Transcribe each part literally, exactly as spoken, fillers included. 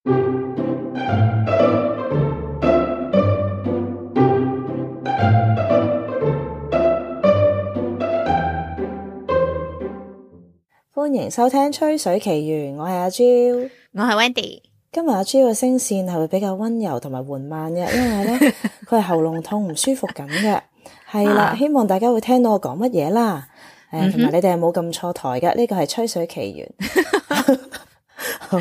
歡迎收聽吹水奇緣，我係阿 Jill， 我係 Wendy。今日阿 Jill 嘅聲線係會比較溫柔同埋緩慢嘅，因為咧佢係喉嚨痛唔舒服緊嘅，係啦、啊，希望大家會聽到我講乜嘢啦，誒、呃，同埋、嗯、你哋係冇撳錯台嘅，呢、這個係吹水奇緣。好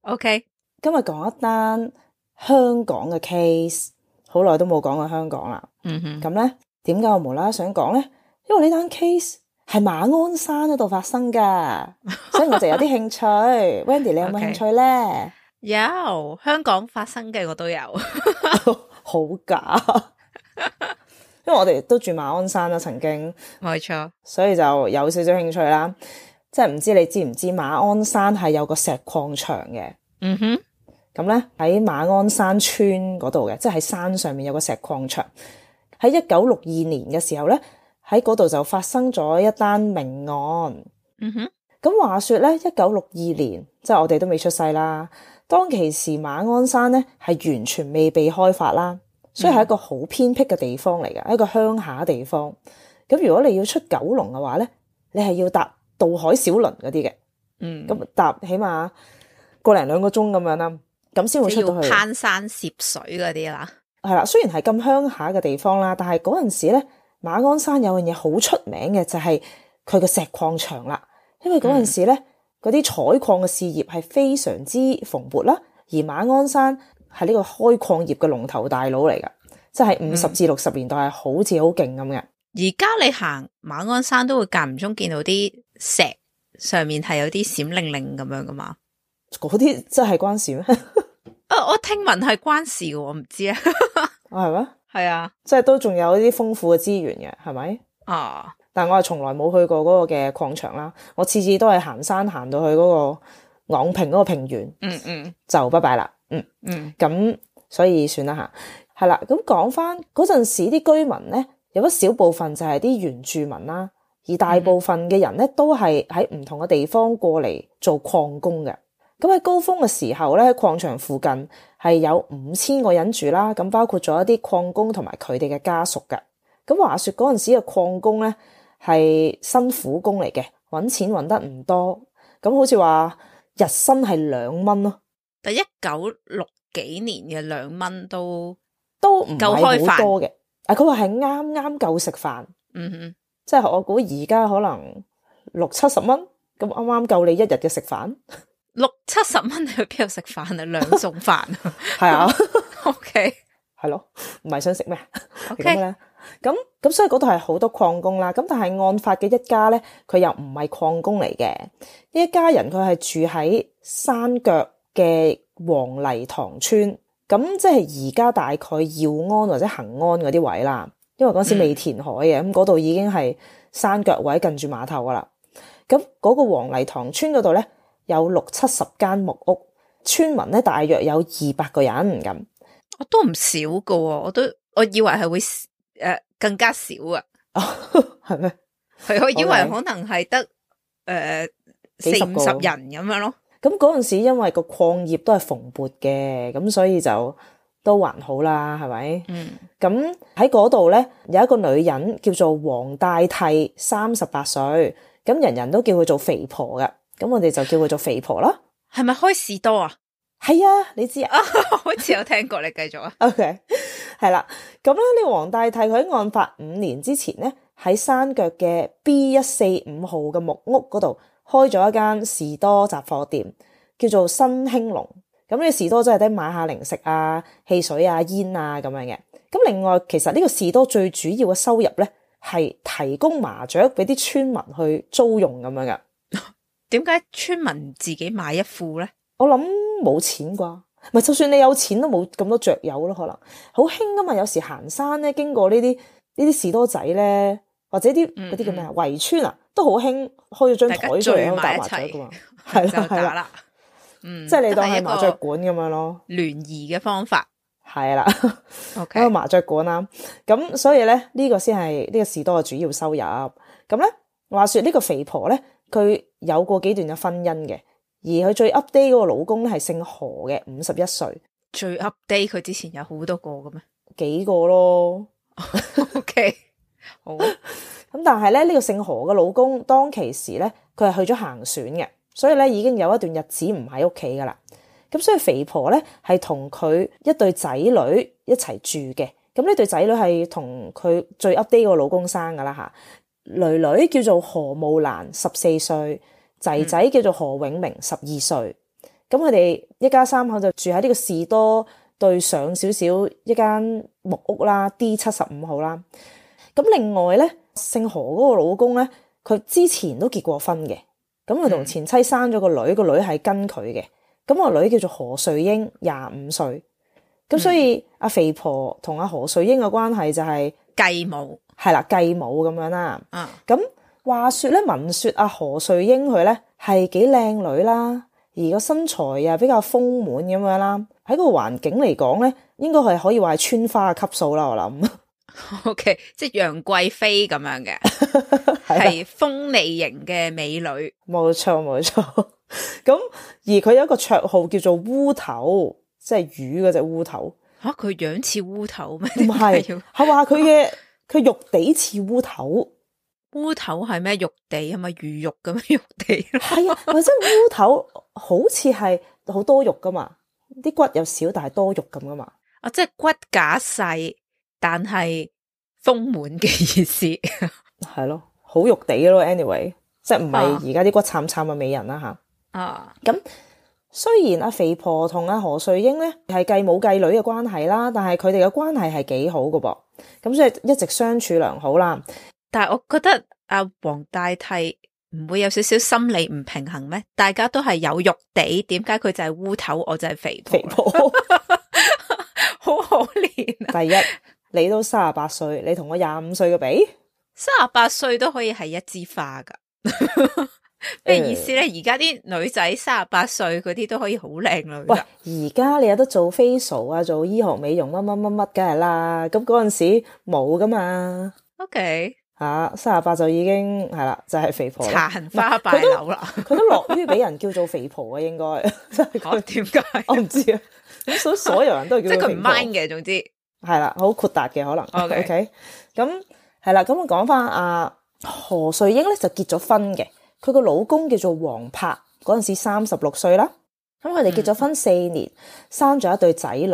OK， 今日講一單香港嘅 case， 好耐都冇講過香港啦。嗯哼，咁咧點解我無啦啦想講咧？因為呢單 case 係馬鞍山嗰度發生噶，所以我就有啲興趣。Wendy， 你有冇興趣咧？Okay. 有，香港發生嘅我都有。好假，因為我哋都住馬鞍山啦，曾經冇錯，所以就有少少興趣啦。即係唔知你知唔知馬鞍山係有個石礦場嘅？嗯哼，咁咧喺馬鞍山村嗰度嘅，即係喺山上面有個石礦場。喺一九六二年嘅時候咧，喺嗰度就發生咗一單命案。嗯哼，咁話說咧，一九六二年，即係我哋都未出世啦。當其時馬鞍山咧係完全未被開發啦，所以係一個好偏僻嘅地方嚟嘅，一個鄉下地方。咁如果你要出九龍嘅話咧，你係要搭渡海小輪嗰啲嘅，嗯，咁搭起碼個零兩個鐘咁樣啦，咁先會出到去。攀山涉水嗰啲啦，係啦，雖然係咁鄉下嘅地方啦，但係嗰陣時咧，馬鞍山有樣嘢好出名嘅就係佢個石礦場啦，因為嗰陣時咧。嗯嗰啲採礦嘅事業係非常之蓬勃啦，而馬鞍山係呢個開礦業嘅龍頭大佬嚟噶，即係五十至六十年代係好似好勁咁嘅。而家你行馬鞍山都會間唔中見到啲石上面係有啲閃靈靈咁樣噶嘛？嗰啲真係關事咩？啊，我聽聞係關事嘅，我唔知啊。係咩？係啊，即係都仲有啲豐富嘅資源嘅，係咪？啊！但我係從來冇去過嗰個嘅礦場啦，我次次都係行山行到去嗰個昂坪嗰個平原，嗯嗯，就拜拜啦，嗯嗯，咁所以算啦吓，係啦，咁講翻嗰陣時啲居民咧，有一小部分就係啲原住民啦，而大部分嘅人咧都係喺唔同嘅地方過嚟做礦工嘅。咁喺高峰嘅時候咧，礦場附近係有五千個人住啦，咁包括咗一啲礦工同埋佢哋嘅家屬嘅。咁話說嗰陣時嘅礦工咧，係辛苦工嚟嘅，搵錢搵得唔多，咁好似話日薪係兩蚊咯。但一九六幾年嘅兩蚊都都唔係好多嘅。啊，佢話係啱啱夠食飯。嗯哼，即係我估而家可能六七十蚊，咁啱啱夠你一日嘅食飯。六七十蚊你去邊度食飯啊？兩餸飯係啊。OK，係咯，唔係想食咩 ？OK 咧。咁咁所以嗰度係好多礦工啦，咁但係案發嘅一家咧，佢又唔係礦工嚟嘅，呢一家人佢係住喺山腳嘅黃泥塘村，咁即係而家大概耀安或者恒安嗰啲位啦，因為嗰時未填海嘅，咁嗰度已經係山腳位近住碼頭噶啦。咁嗰個黃泥塘村嗰度咧有六七十間木屋，村民咧大約有二百個人咁，我都唔少噶，我都我以為係會。誒、呃，更加少啊？係咩？係我以為可能係得誒四五十人咁樣咯。咁嗰陣時因為個礦業都係蓬勃嘅，咁所以就都還好啦，係咪？嗯。咁喺嗰度咧有一個女人叫做黃大娣，三十八歲，咁人人都叫佢做肥婆噶，咁我哋就叫佢做肥婆啦。係咪開士多啊？係啊，你知啊？好似有聽過，你繼續啊。OK。係啦，咁咧呢個黃大娣佢喺案發五年之前咧，喺山腳嘅 B 一四五號嘅木屋嗰度開咗一間士多雜貨店，叫做新興隆。咁呢個士多真係得買下零食啊、汽水啊、煙啊咁樣嘅。咁另外，其實呢個士多最主要嘅收入咧，係提供麻雀俾啲村民去租用咁樣嘅。點解村民自己買一副咧？我諗冇錢啩。唔係，就算你有錢都冇咁多雀友咯，可能好興噶嘛。有時行山咧，經過呢啲呢啲士多仔咧，或者啲嗰啲叫咩啊圍村啊，都好興開咗張台出嚟喺度打麻雀噶嘛，係啦係啦，嗯，即係你當係麻雀館咁樣咯，聯誼嘅方法係啦，一個麻雀館啦。咁所以咧呢個先係呢個士多嘅主要收入。咁咧話說呢個肥婆咧，佢有過幾段嘅婚姻嘅。而佢最 update 嗰個老公咧係姓何嘅，五十一歲。最 update 佢之前有好多個嘅咩？幾個咯。OK， 好。咁但係咧呢、呢個姓何嘅老公當其時咧，佢係去咗行船嘅，所以咧已經有一段日子唔喺屋企噶啦。咁所以肥婆咧係同佢一對仔女一齊住嘅。咁呢對仔女係同佢最 update 個老公生噶啦吓。女女叫做何慕蘭，十四歲，仔仔叫做何永明，十二歲。咁佢哋一家三口就住喺呢個士多對上少少一間木屋啦 ，D 七十五號啦。咁另外咧，姓何嗰個老公咧，佢之前都結過婚嘅。咁佢同前妻生咗個女，個女係跟佢嘅。咁個女叫做何瑞英，廿五歲。咁所以阿、嗯、肥婆同阿何瑞英嘅關係就係繼母，係啦，繼母咁樣啦。嗯，咁話說咧，聞說阿何瑞英佢咧係幾靚女啦，而個身材又比較豐滿咁樣啦。喺個環境嚟講咧，應該係可以話係村花嘅級數啦。我諗。O、okay, K， 即係楊貴妃咁樣嘅，係鋒利型嘅美女。冇錯冇錯。咁而佢有一個綽號叫做烏頭，即係魚嗰隻烏頭。吓、啊，佢樣似烏頭咩？唔係，係話佢嘅佢肉地似烏頭。烏頭係咩？肉地係咪魚肉咁樣肉地？係啊，或者烏頭好似係好多肉噶嘛，啲骨又少，但係多肉咁噶嘛。啊，即係骨架細。但係豐滿嘅意思係咯，好肉地咯 anyway， 即係唔係而家啲骨慘慘嘅美人啦吓。啊，咁雖然阿肥婆同阿何瑞英咧係繼母繼女嘅關係啦，但係佢哋嘅關係係幾好㗎噃，咁所以一直相處良好啦。但係我覺得阿黃大替唔會有少少心理唔平衡咩？大家都係有肉地，點解佢就係烏頭，我就係肥婆？肥婆好可憐啊！第一。你都三十八歲，你同我廿五歲嘅比，三十八歲都可以係一枝花噶，咩意思咧？而家啲女仔三十八歲嗰啲都可以好靚女。喂，而家你有得做 facial 啊，做醫學美容乜乜乜乜，梗係啦。咁嗰陣時冇噶嘛。OK，吓三十八就已經係啦，就係、是、肥婆啦，殘花敗柳啦。佢都樂於俾人叫做肥婆啊，應該。我點解？我唔知啊。咁所以所有人都叫佢肥婆。即係佢唔 mind 嘅，總之。係啦，好豁達嘅可能。OK， 咁、okay? 係啦，咁我講翻阿何瑞英咧就結咗婚嘅，佢個老公叫做黃柏，嗰陣時三十六歲啦。咁佢哋結咗婚四年，嗯、生咗一對仔女。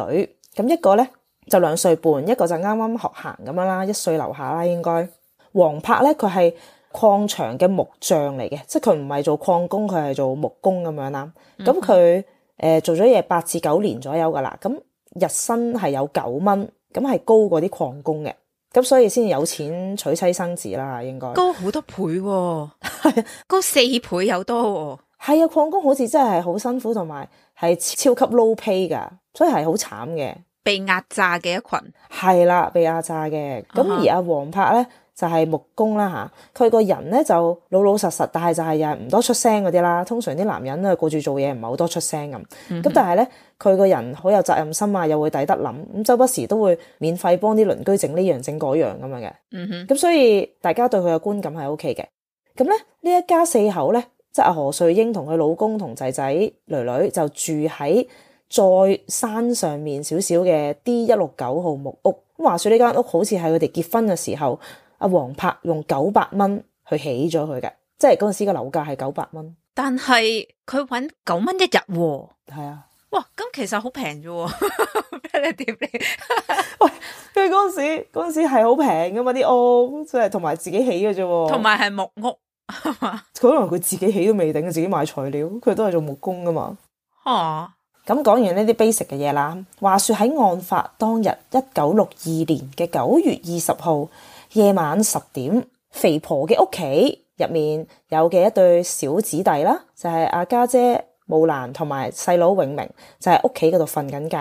咁一個咧就兩歲半，一個就啱啱學行咁樣啦，一歲樓下啦應該。黃柏咧佢係礦場嘅木匠嚟嘅，即係佢唔係做礦工，佢係做木工咁樣啦。咁佢誒做咗嘢八至九年左右噶啦，咁日薪係有九蚊。咁係高過啲礦工嘅，咁所以先有錢娶妻生子啦，應該高好多倍喎、哦，高四倍有多喎、哦。係啊，礦工好似真係好辛苦，同埋係超級 low pay 噶，所以係好慘嘅，被壓榨嘅一群。係啦，被壓榨嘅。咁、uh-huh. 而阿黃柏咧就係、是、木工啦吓，佢個人咧就老老實實，但係就係又係唔多出聲嗰啲啦。通常啲男人啊顧住做嘢，唔係好多出聲咁。咁、mm-hmm. 但係咧，佢個人好有責任心啊，又會抵得諗，咁周不時都會免費幫啲鄰居整呢樣整嗰樣咁樣嘅。嗯哼。咁所以大家對佢嘅觀感係 O K 嘅。咁咧呢一家四口咧，即係阿何瑞英同佢老公同仔仔女女就住喺再山上面少少嘅 D 一六九號木屋。咁話說呢間屋好似係佢哋結婚嘅時候，阿黃柏用九百蚊去起咗佢嘅，即係嗰陣時嘅樓價係九百蚊。但係佢搵九蚊一日喎。係啊。哇，咁其實好平啫喎，你點你？喂，佢嗰陣時嗰陣時係好平噶嘛啲屋，即係同埋自己起嘅啫喎。同埋係木屋，係嘛？可能佢自己起都未定，自己買材料，佢都係做木工噶嘛。哦，咁講完呢啲 basic 嘅嘢啦，話說喺案發當日一九六二年嘅九月二十號夜晚十點，肥婆嘅屋企入面有嘅一對小子弟啦，就係阿家姐慕蘭同埋細佬永明，就喺屋企嗰度瞓緊覺。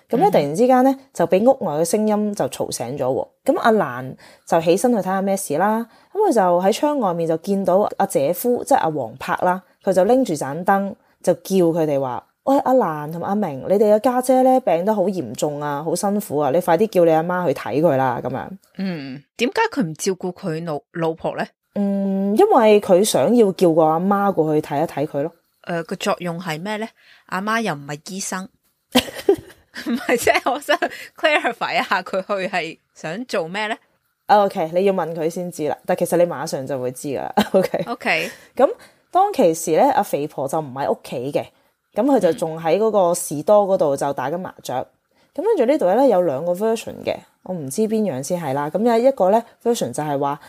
咁咧突然之間咧就俾屋外嘅聲音就嘈醒咗。咁阿蘭就起身去睇下咩事啦。咁佢就喺窗外面就見到阿姐夫即係阿黃柏啦，佢就拎住盞燈就叫佢哋話：喂，阿蘭同阿明，你哋嘅家姐咧病得好嚴重啊，好辛苦啊，你快啲叫你阿媽去睇佢啦。咁樣。嗯，點解佢唔照顧佢老老婆咧？嗯，因為佢想要叫個阿媽過去睇一睇佢咯。誒個作用係咩咧？阿媽又唔係醫生，唔係即係我想 clarify 一下佢去係想做咩咧？O K， 你要問佢先知啦，但其實你馬上就會知噶啦。O K， O K， 咁當其時咧，阿肥婆就唔喺屋企嘅，咁佢就仲喺嗰個士多嗰度就打緊麻雀。咁跟住呢度咧有兩個 version 嘅，我唔知邊樣先係啦。咁有一個咧 version 就係話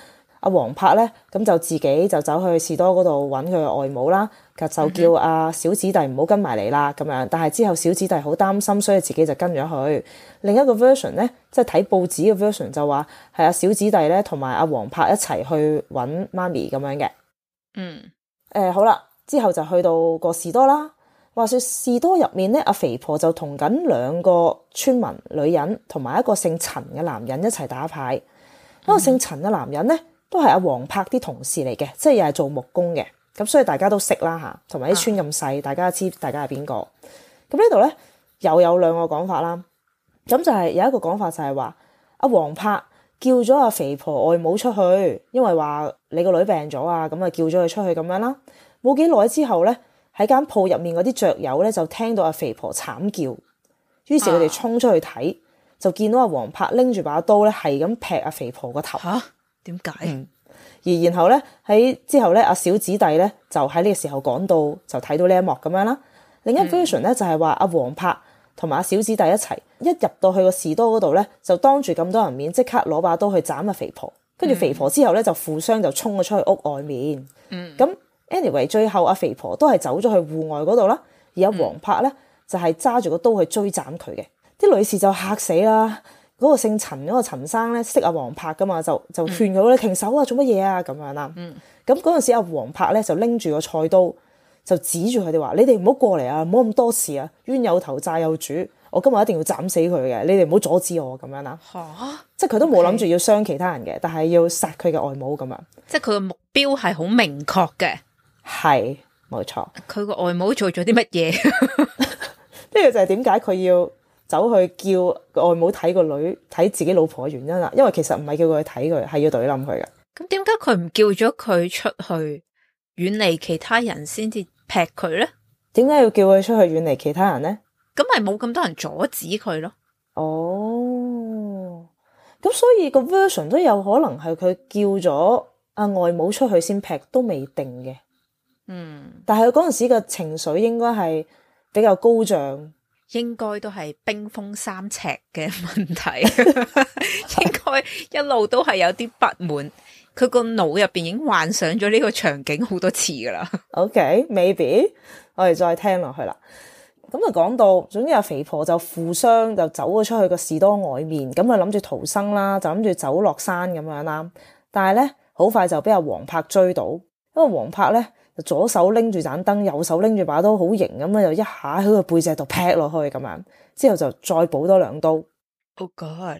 阿黃柏咧，咁就自己就走去士多嗰度揾佢嘅外母啦，就叫阿小子弟唔好跟埋嚟啦咁樣。但係之後小子弟好擔心，所以自己就跟咗去。另一個 version 咧，即係睇報紙嘅 version 就話係阿小子弟咧同埋阿黃柏一齊去揾媽咪咁樣嘅。嗯，誒、呃、好啦，之後就去到個士多啦。話說士多入面咧，阿肥婆就同緊兩個村民女人同埋一個姓陳嘅男人一齊打牌。嗰、嗯、個姓陳嘅男人咧都係阿黃柏啲同事嚟嘅，即係又係做木工嘅。咁所以大家都識啦嚇，同埋啲村咁細，大家知大家係邊個。咁呢度咧又有兩個講法啦。咁就係有一個講法就係話阿黃柏叫咗阿肥婆外母出去，因為話你個女病咗啊，咁啊叫咗佢出去咁樣啦。冇幾耐之後咧，喺間鋪入面嗰啲雀友咧就聽到阿肥婆慘叫，於是佢哋衝出去睇，啊、就見到阿黃柏拎住把刀咧係咁劈阿肥婆個頭。嚇？點解？嗯而然後咧喺之後咧，阿小子弟咧就喺呢個時候趕到，就睇到呢一幕咁樣啦。另一 version 咧就係話阿黃柏同埋阿小子弟一齊一入到去個士多嗰度咧，就當住咁多人面即刻攞把刀去斬阿肥婆，跟住肥婆之後咧就負傷就衝咗出去屋外面。嗯，咁 anyway 最後阿肥婆都係走咗去戶外嗰度啦，而阿黃柏咧就係揸住個刀去追斬佢嘅。啲女士就嚇死啦。嗰個姓陳嗰個陳生咧識阿黃柏噶嘛，就就勸佢咧停手啊，做乜嘢啊咁樣啦。咁嗰陣時阿黃柏咧就拎住個菜刀，就指住佢哋話：你哋唔好過嚟啊，唔好咁多事啊，冤有頭債有主，我今日一定要斬死佢嘅，你哋唔好阻止我咁樣啦。嚇！即係佢都冇諗住要傷其他人嘅，但係要殺佢嘅外母咁樣。即係佢嘅目標係好明確嘅。係，冇錯。佢個外母做咗啲乜嘢？呢個就係點解佢要走去叫外母睇個女睇自己老婆嘅原因啦，因為其實唔係叫佢去睇佢，係要懟冧佢嘅。咁點解佢唔叫咗佢出去遠離其他人先至劈佢咧？點解要叫佢出去遠離其他人咧？咁咪冇咁多人阻止佢咯。哦，咁所以個 version 都有可能係佢叫咗阿外母出去先劈，都未定嘅。嗯，但係佢嗰陣時嘅情緒應該係比較高漲。應該都係冰封三尺嘅問題，應該一路都係有啲不滿，佢個腦入邊已經幻想咗呢個場景好多次噶啦。OK，maybe， 我哋再聽落去啦。咁就講到，總之阿肥婆就負傷，就走咗出去個士多外面，咁啊諗住逃生啦，就諗住走落山咁樣啦。但係咧，好快就俾阿黃柏追到，因為黃柏咧。左手拎住盞燈，右手拎住把刀，好型咁樣，就一下喺佢背脊度劈落去咁樣，之後就再補多兩刀。Oh God！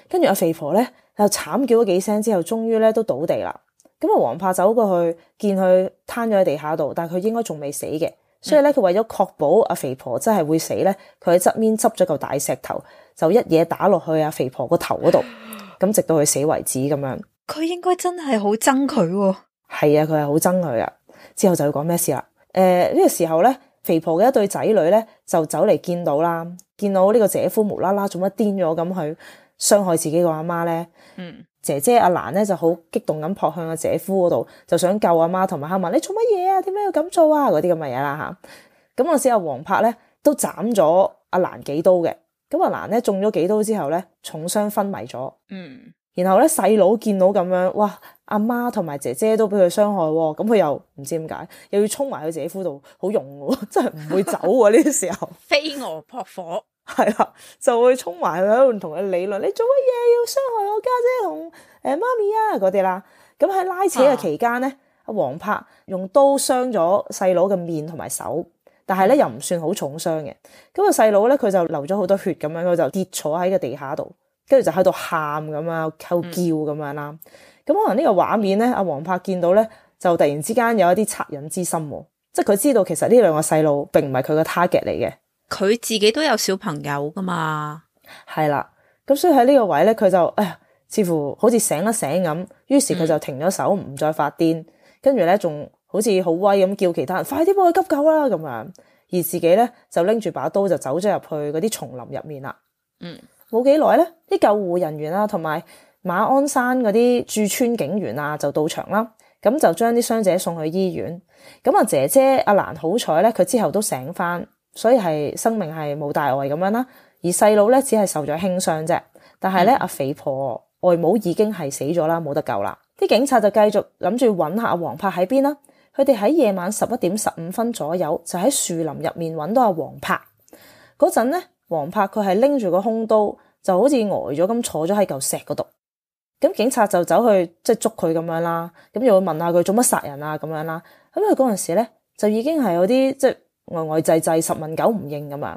跟住阿肥婆咧就慘叫咗幾聲之後，終於咧都倒地啦。咁啊，黃柏走過去見佢攤咗喺地下度，但係佢應該仲未死嘅，所以咧佢為咗確保阿肥婆真係會死咧，佢喺側面執咗嚿大石頭，就一嘢打落去阿肥婆個頭嗰度，咁直到佢死為止咁樣。佢應該真係好憎佢喎。係啊，佢係好憎佢啊。之後就要講咩事啦？誒、呃、呢、這個時候咧，肥婆嘅一對仔女咧就走嚟見到啦，見到呢個姐夫無啦啦做乜癲咗咁去傷害自己個阿媽咧。嗯，姐姐阿蘭咧就好激動咁撲向阿姐夫嗰度，就想救阿媽，同埋問你做乜嘢啊？點解要咁做啊？嗰啲咁嘅嘢啦吓。咁嗰時阿黃柏咧都斬咗阿蘭幾刀嘅，咁阿蘭咧中咗幾刀之後咧重傷昏迷咗。嗯。然後咧細佬見到咁樣，哇！阿媽同埋姐姐都俾佢傷害，咁佢又唔知點解，又要衝埋去姐夫度，好勇喎，真係唔會走喎呢啲時候。飛蛾撲火，係啦，就會衝埋去喺度同佢理論，你做乜嘢要傷害我家姐同誒媽咪啊嗰啲啦。咁喺拉扯嘅期間咧，阿黃柏用刀傷咗細佬嘅面同埋手，但係咧又唔算好重傷嘅。咁個細佬咧佢就流咗好多血咁樣，佢就跌坐喺個地下度。跟住就喺度喊咁啊，喺度叫咁樣啦。咁、嗯、可能呢個畫面咧，阿黃柏見到咧，就突然之間有一啲惻隱之心，即係佢知道其實呢兩個細路並唔係佢個 target 嚟嘅。佢自己都有小朋友噶嘛，係啦。咁所以喺呢個位咧，佢就哎呀，似乎好似醒一醒咁，於是佢就停咗手，唔、嗯、再發癲，跟住咧仲好似好威咁叫其他人快啲幫佢急救啦咁樣，而自己咧就拎住把刀就走咗入去嗰啲叢林入面啦。嗯，冇幾耐咧，啲救護人員啊同埋馬鞍山嗰啲駐村警員啊就到場啦，咁就將啲傷者送去醫院。咁啊姐姐阿蘭好彩咧，佢之後都醒翻，所以係生命係冇大礙咁樣啦。而細佬咧只係受咗輕傷啫，但係咧阿肥婆外母已經係死咗啦，冇得救啦。啲警察就繼續諗住揾下阿黃柏喺邊啦。佢哋喺夜晚十一點十五分左右就喺樹林入面揾到阿黃柏。嗰陣咧，黃柏佢係拎住個兇刀，就好似呆咗咁坐咗喺嚿石嗰度。咁警察就走去即係捉佢咁樣啦，咁又會問下佢做乜殺人啊咁樣啦。咁佢嗰陣時咧就已經係有啲即係呆呆滯滯，十問九唔應咁樣。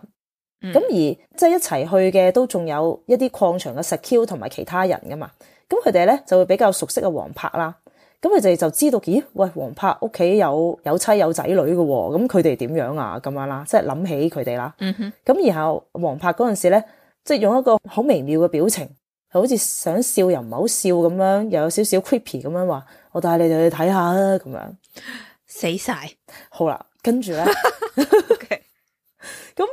咁、嗯、而即係一齊去嘅都仲有一啲礦場嘅 secure 同埋其他人噶嘛。咁佢哋咧就會比較熟悉阿黃柏啦。咁佢哋就知道，咦？喂，黃柏屋企有有妻有仔女嘅喎，咁佢哋點樣啊？咁樣啦，即係諗起佢哋啦。嗯哼。咁然後黃柏嗰陣時咧，即係用一個好微妙嘅表情，好似想笑又唔係好笑咁樣，又有少少 creepy 咁樣話：我帶你哋去睇下啦，咁樣。死晒。好啦，跟住咧，咁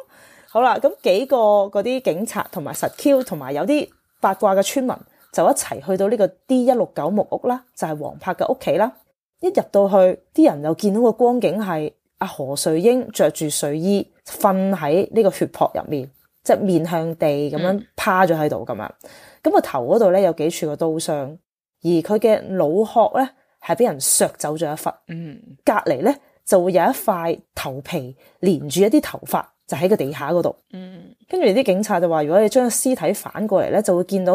好啦，咁幾個嗰啲警察同埋實 Q 同埋有啲八卦嘅村民，就一齊去到呢個 D 一六九木屋啦，就係黃柏嘅屋企啦。一入到去，啲人又見到個光景係阿何瑞英着住睡衣瞓喺呢個血泊入面，即係面向地咁樣趴咗喺度咁樣。咁個頭嗰度咧有幾處個刀傷，而佢嘅腦殼咧係俾人削走咗一忽。嗯，隔離咧就會有一塊頭皮連住一啲頭髮。就喺個地下嗰度，嗯，跟住啲警察就話，如果你將個屍體反過嚟咧，就會見到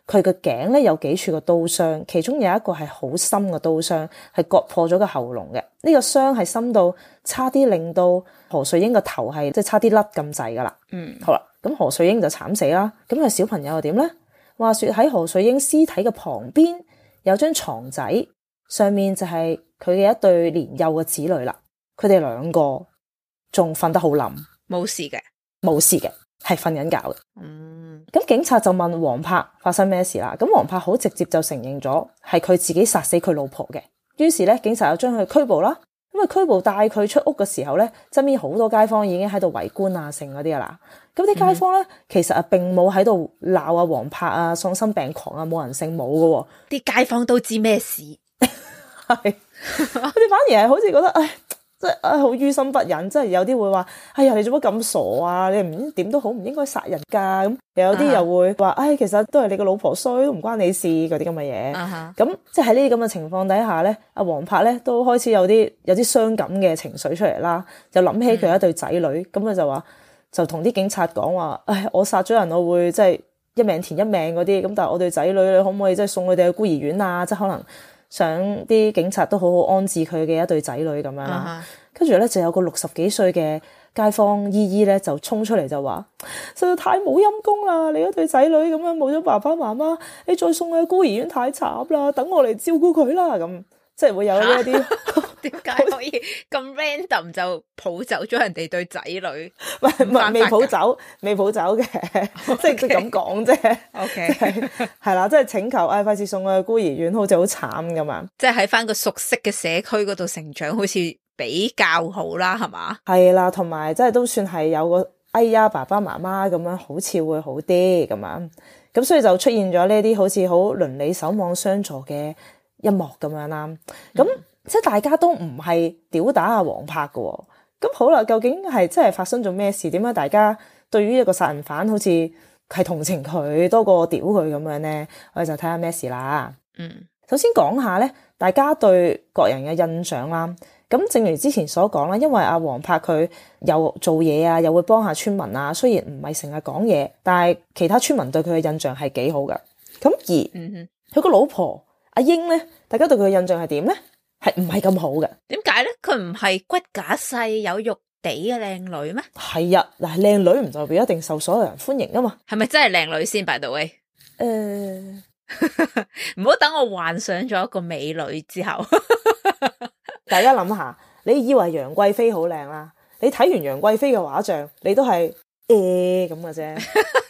佢個頸咧有幾處個刀傷，其中有一個係好深嘅刀傷，係割破咗個喉嚨嘅。呢、這個傷係深到差啲令到何瑞英個頭係即係差啲甩咁滯噶啦。嗯，好啦，咁何瑞英就慘死啦。咁個小朋友又點咧？話說喺何瑞英屍體嘅旁邊有張床仔，上面就係佢嘅一對年幼嘅子女啦。佢哋兩個仲瞓得好冧。冇事嘅，冇事嘅，係瞓緊覺嘅。嗯，咁警察就問黃柏發生咩事啦。咁黃柏好直接就承認咗係佢自己殺死佢老婆嘅。於是咧，警察又將佢拘捕啦。咁啊，拘捕帶佢出屋嘅時候咧，側邊好多街坊已經喺度圍觀啊，剩嗰啲噶啦。咁啲街坊咧，嗯、其實啊，並冇喺度鬧啊黃柏啊喪心病狂啊，冇人姓冇噶。啲街坊都知咩事，係佢哋反而係好似覺得唉。即係啊，好於心不忍，即係有啲會話：哎呀，你做乜咁傻啊？你唔點都好，唔應該殺人噶。咁又有啲又會話：唉、uh-huh. 哎，其實都係你個老婆衰，都唔關你事嗰啲咁嘅嘢。咁、uh-huh. 即係喺呢啲咁嘅情況底下咧，阿黃柏咧都開始有啲有啲傷感嘅情緒出嚟啦，就諗起佢有一對仔女，咁、uh-huh. 佢就話就同啲警察講話：唉，我殺咗人，我會即係一命填一命嗰啲。咁但係我對仔女，你可唔可以即係送佢哋去孤兒院啊？即係可能。想啲警察都好好安置佢嘅一對仔女咁樣啦，跟住咧就有個六十幾歲嘅街坊姨姨咧就衝出嚟就話：實在太冇陰功啦！你一對仔女咁樣冇咗爸爸媽媽，你再送去孤兒院太慘啦！等我嚟照顧佢啦咁。即係會有呢一啲，點解可以咁 random 就抱走咗人哋對仔女？唔係唔係未抱走，未抱走嘅，okay. 即係佢咁講啫。OK，係啦，即係請求，唉、哎，費事送去孤兒院，好似好慘咁啊！即係喺翻個熟悉嘅社區嗰度成長，好似比較好啦，係嘛？係啦，同埋即係都算係有個哎呀爸爸媽媽咁樣，好似會好啲咁樣。咁所以就出現咗呢啲好似好鄰里守望相助嘅一幕咁樣啦，咁、嗯、即係大家都唔係屌打阿黃柏嘅，咁好啦，究竟係真係發生咗咩事？點解大家對於一個殺人犯好似係同情佢多過屌佢咁樣咧？我哋就睇下咩事啦。嗯，首先講下咧，大家對各人嘅印象啦。咁正如之前所講啦，因為阿黃柏佢又做嘢啊，又會幫下村民啊，雖然唔係成日講嘢，但係其他村民對佢嘅印象係幾好噶。咁而嗯佢個老婆。阿英咧，大家對佢嘅印象係點咧？係唔係咁好嘅？點解咧？佢唔係骨架細有肉地嘅靚女咩？係啊，嗱，靚女唔代表一定受所有人歡迎噶嘛？係咪真係靚女先？by the way，誒，唔好等我幻想咗一個美女之後，大家諗下，你以為楊貴妃好靚啦？你睇完楊貴妃嘅畫像，你都係誒咁嘅啫，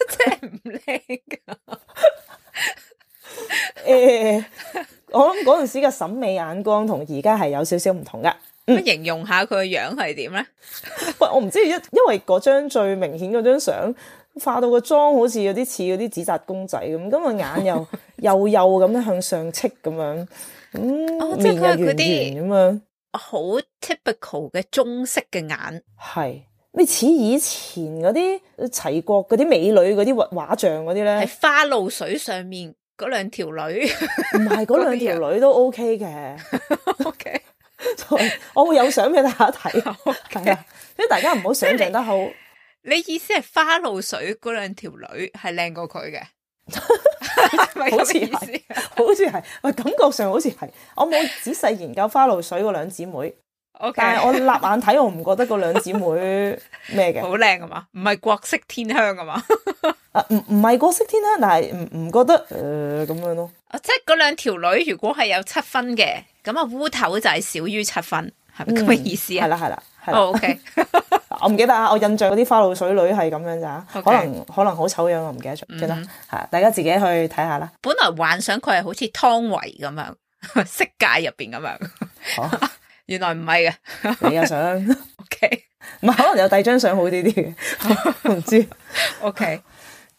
即係唔靚噶。誒、欸，我諗嗰陣時嘅審美眼光同而家係有少少唔同噶。咁形容下佢個樣係點咧？喂，我唔知，因因為嗰張最明顯嗰張相化到個妝好似有啲似嗰啲紙紮公仔咁，咁個眼又幼幼咁樣向上戚咁樣，咁、哦、面又圓圓咁樣，好 typical 嘅中式嘅眼，係你似以前嗰啲齊國嗰啲美女嗰啲畫畫像嗰啲咧，係花露水上面嗰兩條女，唔係嗰兩條女都 OK 嘅。OK，我會有相俾大家睇，係 Okay. 啊，所以大家唔好想象得好。你意思係花露水嗰兩條女係靚過佢嘅？好似係，好似係，喂，感覺上好似係。我冇仔細研究花露水嗰兩姊妹。Okay. 但係我立眼睇，我唔覺得嗰兩姊妹咩嘅，好靚啊嘛，唔係國色天香啊嘛，啊唔唔係國色天香，但係唔唔覺得誒咁、呃、樣咯。啊，即係嗰兩條女如果係有七分嘅，咁啊烏頭就係少於七分，係咪咁嘅意思啊？係啦係啦係啦。哦 OK，我唔記得啊，我印象嗰啲花露水女係咁樣咋，okay. 可能可能好醜樣，我唔記得咗，記得係大家自己去睇下啦。本來幻想佢係好似湯唯咁樣，色戒入邊咁樣。哦原來唔係嘅，你有相 ？OK， 唔係可能有第二張相好啲啲嘅，唔知。OK，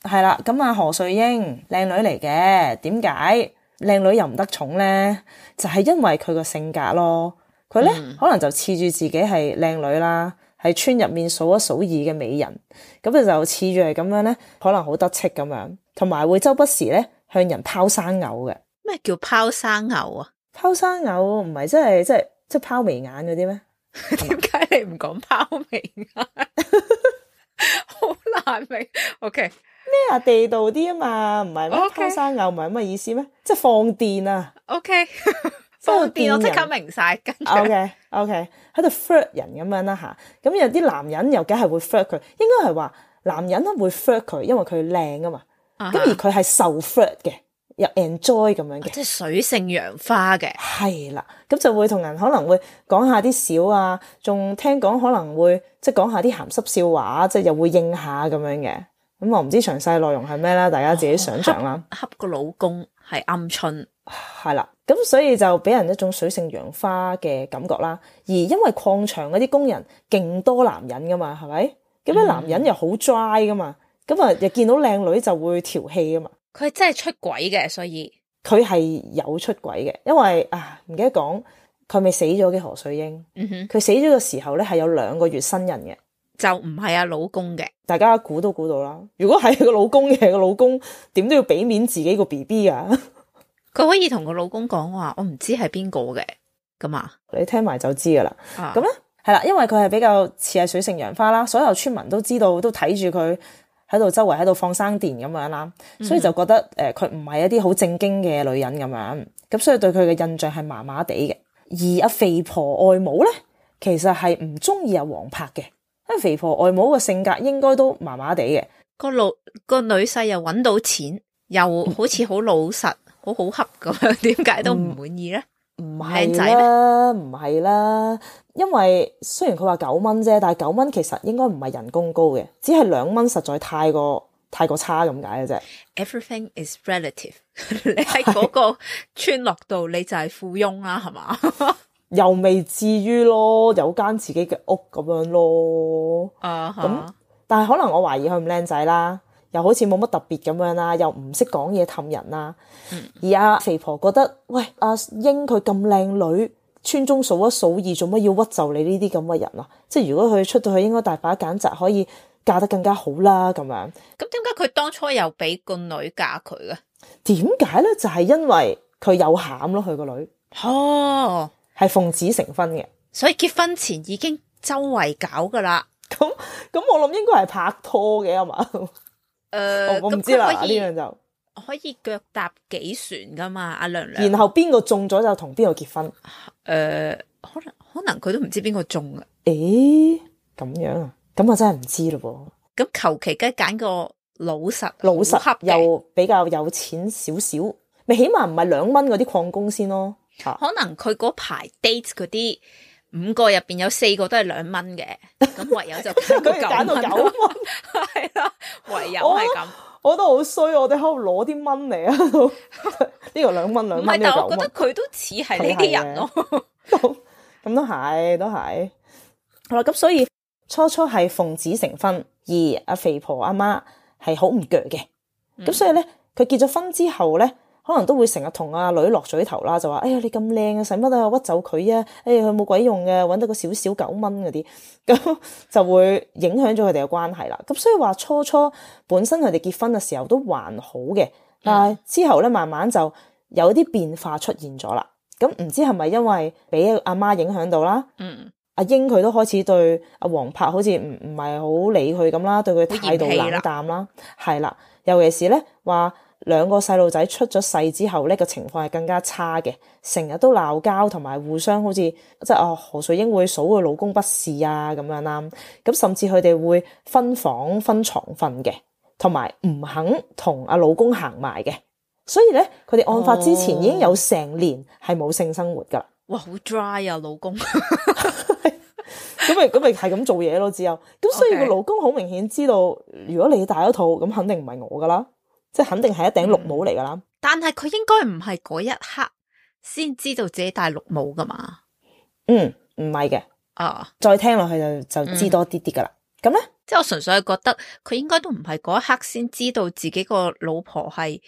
係啦，咁啊何瑞英靚女嚟嘅，點解靚女又唔得寵咧？就係、是、因為佢個性格咯。佢咧、嗯、可能就恃住自己係靚女啦，係村入面數一數二嘅美人，咁佢就恃住係咁樣咧，可能好得戚咁樣，同埋會周不時咧向人拋生藕嘅。咩叫拋生藕啊？拋生藕唔係即係即係。即係拋眉眼嗰啲咩？點解你唔講拋眉眼？好難明。OK 咩啊？地道啲啊嘛，唔係咩？拋生藕唔係咁嘅意思咩？即係放電啊。OK， 放電我即刻明晒。跟住 OK OK 喺度 flirt 人咁樣啦吓。咁有啲男人又梗係會 flirt 佢，應該係話男人咧會 flirt 佢，因為佢靚啊嘛。咁、uh-huh. 而佢係受 flirt 嘅。又 enjoy 咁樣嘅，即係水性楊花嘅，係啦，咁就會同人可能會講下啲笑啊，仲聽講可能會即係講下啲鹹濕笑話，即係又會應下咁樣嘅。咁我唔知詳細內容係咩啦，大家自己想象啦。恰個老公係鵪鶉，係啦，咁所以就俾人一種水性楊花嘅感覺啦。而因為礦場嗰啲工人勁多男人噶嘛，係咪？咁啲男人又好 dry 噶嘛，咁啊又見到靚女就會調戲噶嘛。佢真係出軌嘅，所以佢係有出軌嘅，因為啊唔記得講，佢未死咗嘅何瑞英，嗯哼，佢死咗嘅時候咧係有兩個月身孕嘅，就唔係阿老公嘅，大家估都估到啦。如果係個老公嘅，個老公點都要俾面自己個 B B 噶，佢可以同個老公講話，我唔知係邊個嘅，咁啊，你聽埋就知噶啦。咁咧係啦，因為佢係比較似係水性楊花啦，所有村民都知道，都睇住佢。喺度周圍喺度放生電咁樣啦，所以就覺得誒佢唔係一啲好正經嘅女人咁樣，咁所以對佢嘅印象係麻麻地嘅。而阿肥婆外母咧，其實係唔中意阿黃柏嘅，因為肥婆外母嘅性格應該都麻麻地嘅。個老個女婿又搵到錢，又好似好老實，好好恰咁樣，點解都唔滿意咧？唔係啦，唔係啦，因為雖然佢話九蚊啫，但係九蚊其實應該唔係人工高嘅，只係兩蚊實在太過太過差咁解嘅啫。Everything is relative 。你喺嗰個村落度，你就係富翁啦，係嘛？又未至於咯，有間自己嘅屋咁樣咯。啊、uh-huh. 咁但係可能我懷疑佢唔靚仔啦。又好似冇乜特別咁樣啦，又唔識講嘢氹人啦、嗯。而阿肥婆覺得，喂，阿英佢咁靚女，村中數一數二，做乜要屈就你呢啲咁嘅人啊？即係如果佢出到去，應該大把揀擇，可以嫁得更加好啦。咁樣咁點解佢當初又俾個女嫁佢嘅？點解咧？就係、是、因為佢有餡咯，佢個女哦，係奉子成婚嘅，所以結婚前已經周圍搞噶啦。咁咁，我諗應該係拍拖嘅啊嘛。誒、呃，我唔知啦，呢樣就可以腳踏幾船噶嘛，阿娘娘。然後邊個中咗就同邊個結婚。誒、呃，可能可能佢都唔知邊個中啊。誒，咁樣啊？咁我真係唔知咯噃。咁求其梗揀個老實老實又比較有錢少少，咪起碼唔係兩蚊嗰啲礦工先咯。可能佢嗰排 date 嗰啲五個入邊有四個都係兩蚊嘅，咁唯有就揀個九蚊。係啦，唯有係咁。我覺得好衰，我哋喺度攞啲蚊嚟啊！呢個兩蚊兩蚊，唔係，但係我覺得佢都似係呢啲人咯。咁咁都係，都係。好啦，咁所以初初係奉子成婚，而阿肥婆阿媽係好唔鋸嘅。咁、嗯、所以咧，佢結咗婚之後咧，可能都會成日同阿女落嘴頭啦，就話：哎呀，你咁靚啊，使乜啊屈就佢啊？哎呀，佢冇鬼用嘅，搵到個少少九蚊嗰啲，咁就會影響咗佢哋嘅關係啦。咁所以話初初本身佢哋結婚嘅時候都還好嘅，但係之後咧慢慢就有啲變化出現咗啦。咁唔知係咪因為俾阿媽影響到啦？嗯，阿英佢都開始對阿黃柏好似唔唔係好理佢咁啦，對佢態度冷淡啦，係啦。尤其是咧話兩個細路仔出咗世之後咧，個情況係更加差嘅，成日都鬧交，同埋互相好似即係啊何瑞英會數佢老公不是啊咁樣啦。咁甚至佢哋會分房分床瞓嘅，同埋唔肯同阿老公行埋嘅。所以咧，佢哋案發之前已經有成年係冇性生活噶啦。哇，好 dry 啊，老公。咁咪咁咪係咁做嘢咯，之後咁所以個老公好明顯知道，如果你戴咗套，咁肯定唔係我噶啦，即係肯定係一頂綠帽嚟噶啦。但係佢應該唔係嗰一刻先知道自己戴綠帽噶嘛？嗯，唔係嘅。啊，再聽落去就就知多啲啲噶啦。咁咧、嗯，即係我純粹係覺得佢應該都唔係嗰一刻先知道自己個老婆係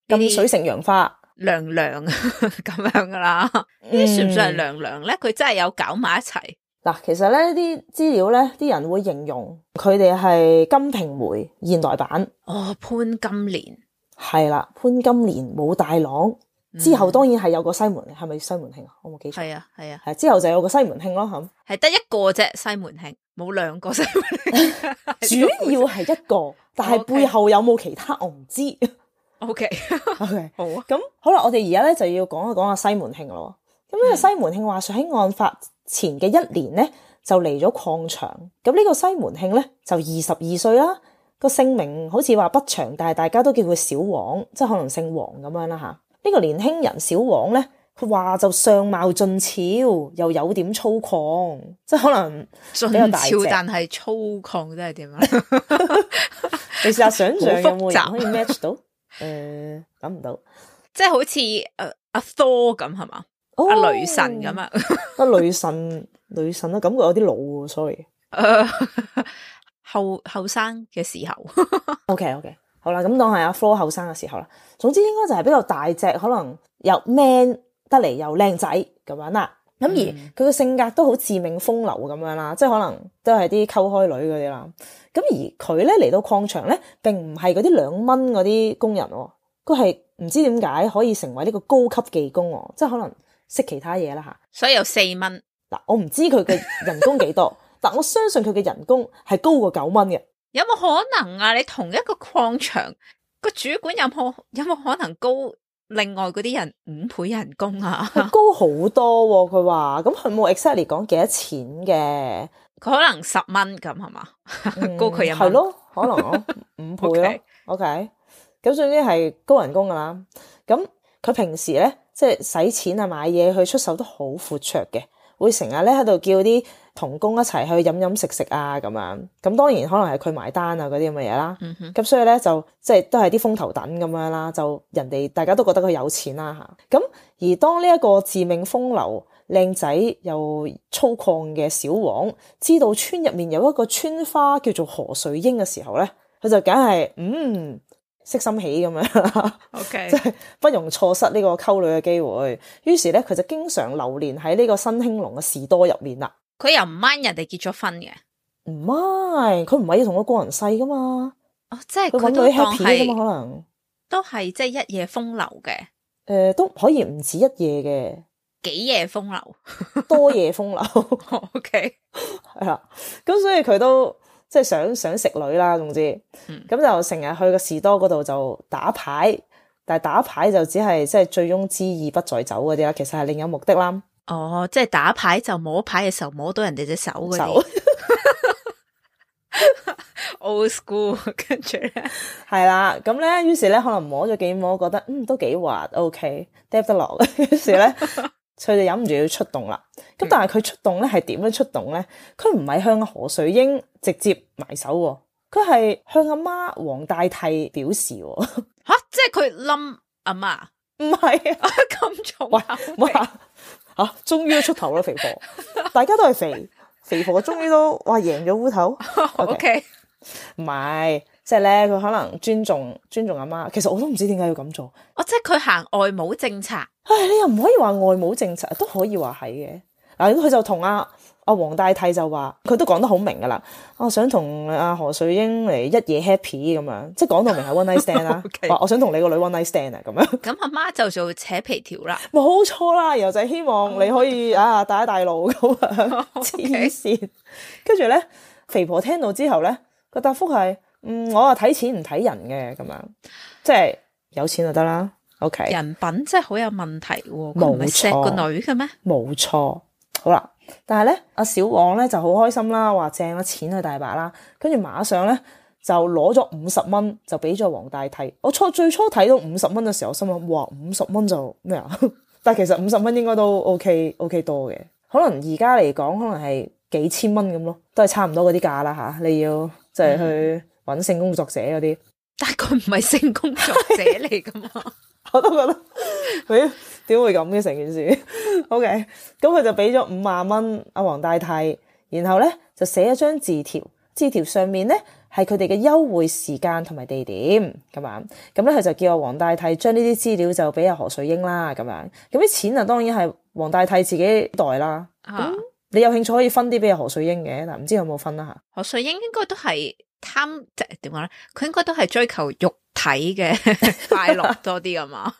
咁水性楊花娘娘咁樣噶啦。呢啲算唔算係娘娘咧？佢真係有搞埋一齊。嗱，其實咧啲資料咧，啲人會形容佢哋係金瓶梅現代版。哦，潘金蓮係啦，潘金蓮武大郎、嗯、之後，當然係有個西門，係咪西門慶啊？我冇記錯。係啊，係啊，係之後就有個西門慶咯，咁係得一個啫，西門慶冇兩個西門慶，主要係一個，但係背後有冇其他我唔知。O K O K 好啊，咁好啦，我哋而家咧就要講一講阿西門慶咯。咁呢個西門慶話說喺案發前嘅一年咧，就嚟咗礦場。咁呢個西門慶咧就二十二歲啦，個姓名好似話不詳，但係大家都叫佢小王，即係可能姓黃咁樣啦吓。呢、這個年輕人小王咧，佢話就相貌俊俏，又有點粗獷，即係可能比較大隻，俊俏但係粗獷，真係點啊？你試下想象有冇人可以 match 到？誒、呃，諗唔到，即係好似誒阿 Thor 咁係嘛？阿、哦、雷神咁啊，阿雷神雷神啊，感覺有啲老喎 ，sorry。誒，後後生嘅時候，OK OK，好啦，咁當係阿 Flo 後生嘅時候啦。總之應該就係比較大隻，可能又 man 得嚟又靚仔咁樣啦。咁、嗯、而佢嘅性格都好自命風流咁樣啦，即係可能都係啲溝開女嗰啲啦。咁而佢咧嚟到礦場咧，並唔係嗰啲兩蚊嗰啲工人，佢係唔知點解可以成為呢個高級技工，即係可能。識其他嘢啦吓，所以有四蚊嗱，我唔知佢嘅人工幾多，但我相信佢嘅人工係高過九蚊嘅。有冇可能啊？你同一個礦場個主管有冇有冇可能高另外嗰啲人五倍人工啊？高好多，佢話咁佢冇 exactly 講幾多錢嘅，佢可能十蚊咁係嘛？高佢一蚊係咯，可能咯五倍咯。OK，咁總之係高人工噶啦。咁佢平時咧。即係使錢啊，買嘢去出手都好闊綽嘅，會成日咧喺度叫啲同工一齊去飲飲食食啊咁樣。咁當然可能係佢埋單啊嗰啲咁嘅嘢啦。咁、嗯、所以咧就即係都係啲風頭躉咁樣啦。就人哋大家都覺得佢有錢啦嚇。咁而當呢一個自命風流、靚仔又粗獷嘅小王知道村入面有一個村花叫做何瑞英嘅時候咧，佢就梗係嗯。識心起咁樣，OK，即係不容錯失呢個溝女嘅機會。於是咧，佢就經常流連喺呢個新興隆嘅士多入面啦。佢又唔 mind 人哋結咗婚嘅，唔 mind，佢唔係要同個個人世噶嘛。哦，即係佢揾女 happy 噶嘛，可能都係即係一夜風流嘅。誒、呃，都可以唔止一夜嘅，幾夜風流，多夜風流。OK，係啦，咁所以佢都。即係想想食女啦，總之，咁、嗯、就成日去個士多嗰度就打牌，但係打牌就只係即係醉翁之意不在酒嗰啲啦，其實係另有目的啦。哦，即係打牌就摸牌嘅時候摸到人哋隻手嗰啲。Old school， 跟住咧係啦，咁咧，於是咧可能摸咗幾摸，覺得嗯都幾滑 ，OK， 嗒得落，於是咧。佢就忍唔住要出動啦，咁但係佢出動咧係點樣出動咧？佢唔係向何瑞英直接埋手，佢係向阿媽黃大娣表示。吓、啊，即係佢冧阿媽？唔係啊，咁重喂，哇，嚇，終於都出頭啦，肥婆，大家都係肥，肥婆終於都哇贏咗烏頭。O K，唔係，即係咧佢可能尊重尊重阿媽，其實我都唔知點解要咁做。哦，即係佢行外母政策。唉，你又唔可以話外母政策，都可以話係嘅。嗱，佢就同阿阿黃大替就話，佢都講得好明噶啦。我想同阿何瑞英嚟一夜 happy 咁樣，即係講到明係 one night stand 啦。Okay. 話我想同你個女 one night stand 啊，咁樣。咁阿媽就做扯皮條啦。冇錯啦，然後就係希望你可以啊帶一帶路咁樣，黐線。跟住咧，肥婆聽到之後咧，個答覆係，嗯，我啊睇錢唔睇人嘅咁樣，即係有錢就得啦。OK，人品真係好有問題喎，佢唔係錫個女嘅咩？冇錯，好啦，但係咧，阿小王咧就好開心啦，話正啦，錢係大把啦，跟住馬上咧就攞咗五十蚊就俾咗黃大替。我初最初睇到五十蚊嘅時候，我心諗哇，五十蚊就咩啊？但係其實五十蚊應該都 OK OK 多嘅，可能而家嚟講可能係幾千蚊咁咯，都係差唔多嗰啲價啦吓。你要即係去揾性工作者嗰啲，但係佢唔係性工作者嚟噶嘛？我都覺得佢點會咁嘅成件事？OK，咁佢就俾咗五萬蚊阿黃大替，然後咧就寫一張字條，字條上面咧係佢哋嘅優惠時間同埋地點咁樣。咁咧佢就叫阿黃大替將呢啲資料就俾阿何瑞英啦咁樣。咁啲錢啊當然係黃大替自己袋啦。咁、啊、你有興趣可以分啲俾阿何瑞英嘅，但唔知有冇分啦吓。何瑞英應該都係貪即係點講咧？佢應該都係追求肉體嘅快樂多啲啊嘛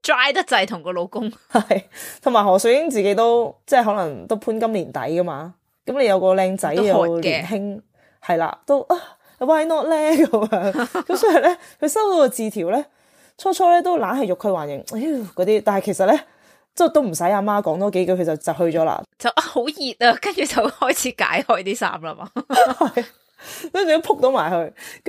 ，dry 得滯同個老公係，同埋何瑞英自己都即係可能都潘金蓮底噶嘛，咁你有個靚仔又年輕，係啦，都啊 why not 咧咁樣，咁所以咧佢收到個字條咧，初初咧都懶係欲拒還迎，嗰啲，但係其實咧即係都唔使阿媽講多幾句，佢就就去咗啦，就啊好熱啊，跟住就開始解開啲衫啦嘛，跟住都撲到埋去，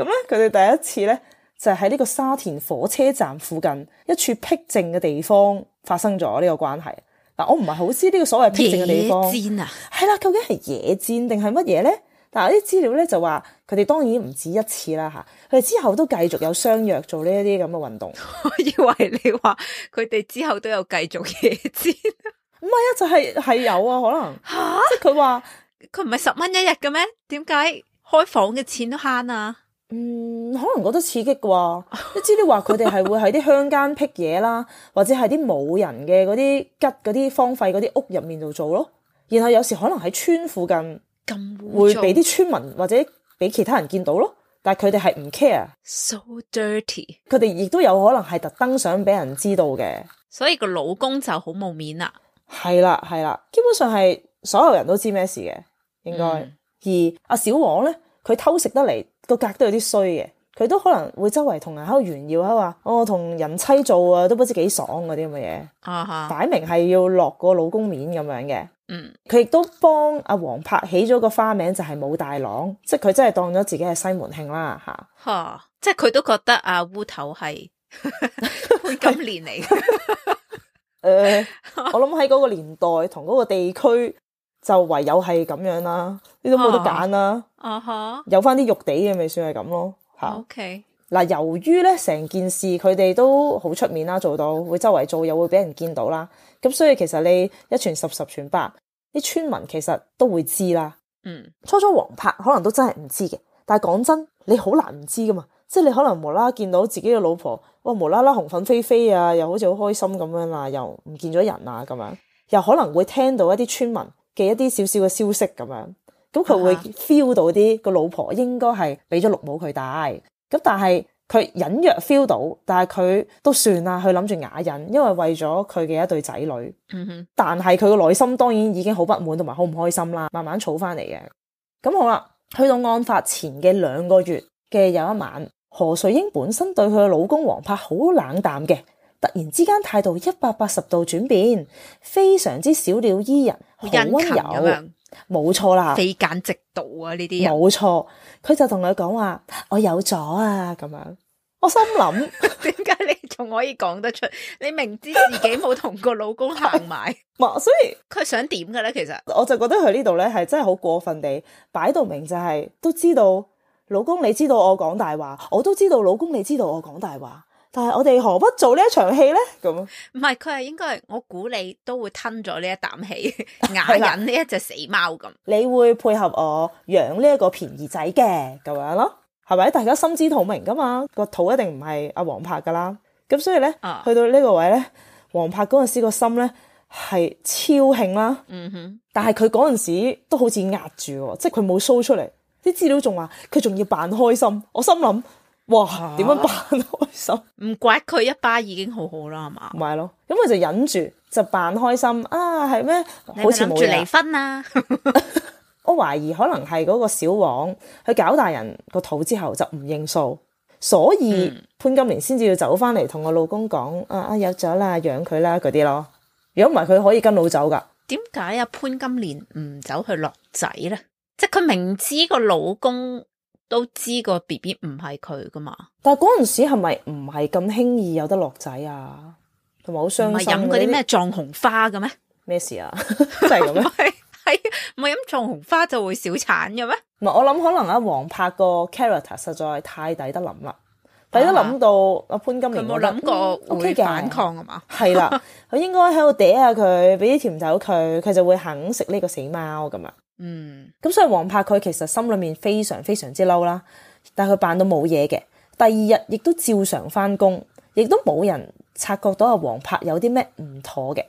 咁咧佢哋第一次咧。就係喺呢個沙田火車站附近一處僻靜嘅地方發生咗呢個關係。嗱，我唔係好知呢個所謂僻靜嘅地方，野戰啊，係啦，究竟係野戰定係乜嘢咧？但係啲資料咧就話佢哋當然唔止一次啦嚇，佢哋之後都繼續有相約做呢一啲咁嘅運動。我以為你話佢哋之後都有繼續野戰，唔係啊，就係、係、係有啊，可能嚇，即係佢話佢唔係十蚊一日嘅咩？點解開房嘅錢都慳啊？嗯，可能覺得刺激啩？啲資料話佢哋係會喺啲鄉間僻嘢啦，或者係啲冇人嘅嗰啲吉嗰啲荒廢嗰啲屋入面度做咯。然後有時可能喺村附近咁會俾啲村民或者俾其他人見到咯。但係佢哋係唔 care，so dirty。佢哋亦都有可能係特登想俾人知道嘅。所以個老公就好冇面啦。係啦係啦，基本上係所有人都知咩事嘅，應該。嗯、而阿小王咧，佢偷食得嚟。個格都有啲衰嘅，佢都可能會周圍同人喺度炫耀，喺度話我同人妻做啊，都不知幾爽嗰啲咁嘅嘢，啊哈，擺明係要落個老公面咁樣嘅。嗯，佢亦都幫阿黃柏起咗個花名就係武大郎，即係佢真係當咗自己係西門慶啦吓。吓，即係佢都覺得阿烏頭係潘金蓮嚟嘅。誒、呃，我諗喺嗰個年代同嗰個地區。就唯有係咁樣啦，你都冇得揀啦。啊哈，有翻啲肉地嘅咪算係咁咯。吓 ，OK。嗱，由於咧成件事佢哋都好出面啦，做到會周圍做，又會俾人見到啦。咁所以其實你一傳十，十傳百，啲村民其實都會知啦。嗯，初初黃柏可能都真係唔知嘅，但係講真，你好難唔知噶嘛。即係你可能無啦啦見到自己嘅老婆，哇，無啦啦紅粉飛飛啊，又好似好開心咁樣啦，又唔見咗人啊咁樣，又可能會聽到一啲村民嘅一啲少少嘅消息咁樣，咁佢會 feel 到啲個老婆應該係俾咗綠帽佢戴，咁但係佢隱約 feel 到，但係佢都算啦，佢諗住啞忍，因為為咗佢嘅一對仔女。嗯哼，但係佢個內心當然已經好不滿同埋好唔開心啦，慢慢儲翻嚟嘅。咁好啦，去到案發前嘅兩個月嘅有一晚，何瑞英本身對佢嘅老公黃柏好冷淡嘅。突然之間態度一百八十度轉變，非常之小鳥依人，好溫柔，冇錯啦，非奸即盜啊！呢啲人冇錯，佢就同佢講話我有咗啊咁樣。我心諗點解你仲可以講得出？你明知自己冇同個老公行埋，所以佢想點嘅咧？其實我就覺得佢呢度咧係真係好過分地擺到明，就係都知道老公你知道我講大話，我都知道老公你知道我講大話。但係我哋何不做呢一場戲咧？咁唔係，佢係應該係我估你都會吞咗呢一啖氣，啞忍呢一隻死貓咁。你會配合我養呢一個便宜仔嘅咁樣咯，係咪？大家心知肚明噶嘛，個肚一定唔係阿黃柏噶啦。咁所以咧，啊、去到呢個位咧，黃柏嗰陣時個心咧係超興啦。嗯哼，但係佢嗰陣時都好似壓住喎，即係佢冇 show 出嚟。啲資料仲話佢仲要扮開心，我心諗哇，點樣扮開心？唔怪佢一巴已經好好啦，係嘛？唔係咯，咁佢就忍住就扮開心啊，係咩？好似冇諗住離婚啊！我懷疑可能係嗰個小王去搞大人個肚之後就唔認數，所以、嗯、潘金蓮先至要走翻嚟同我老公講啊啊，有咗啦，養佢啦嗰啲咯。如果唔係佢可以跟老走噶。點解啊潘金蓮唔走去落仔咧？即係佢明知個老公都知個 B B 唔係佢噶嘛？但係嗰陣時係咪唔係咁輕易有得落仔啊？同埋好傷心。唔係飲嗰啲咩藏紅花嘅咩？咩事啊？真係咁咩？係唔係飲藏紅花就會小產嘅咩？唔係，我諗可能阿黃柏個 character 實在太抵得諗啦，抵得諗到阿潘金蓮佢冇諗過會反抗啊嘛？係啦，佢應該喺度嗲下佢，俾啲甜頭佢，佢就會肯食呢個死貓咁啊。嗯，咁所以黃柏佢其實心裏面非常非常之嬲啦，但係佢扮到冇嘢嘅。第二日亦都照常翻工，亦都冇人察覺到阿黃柏有啲咩唔妥嘅。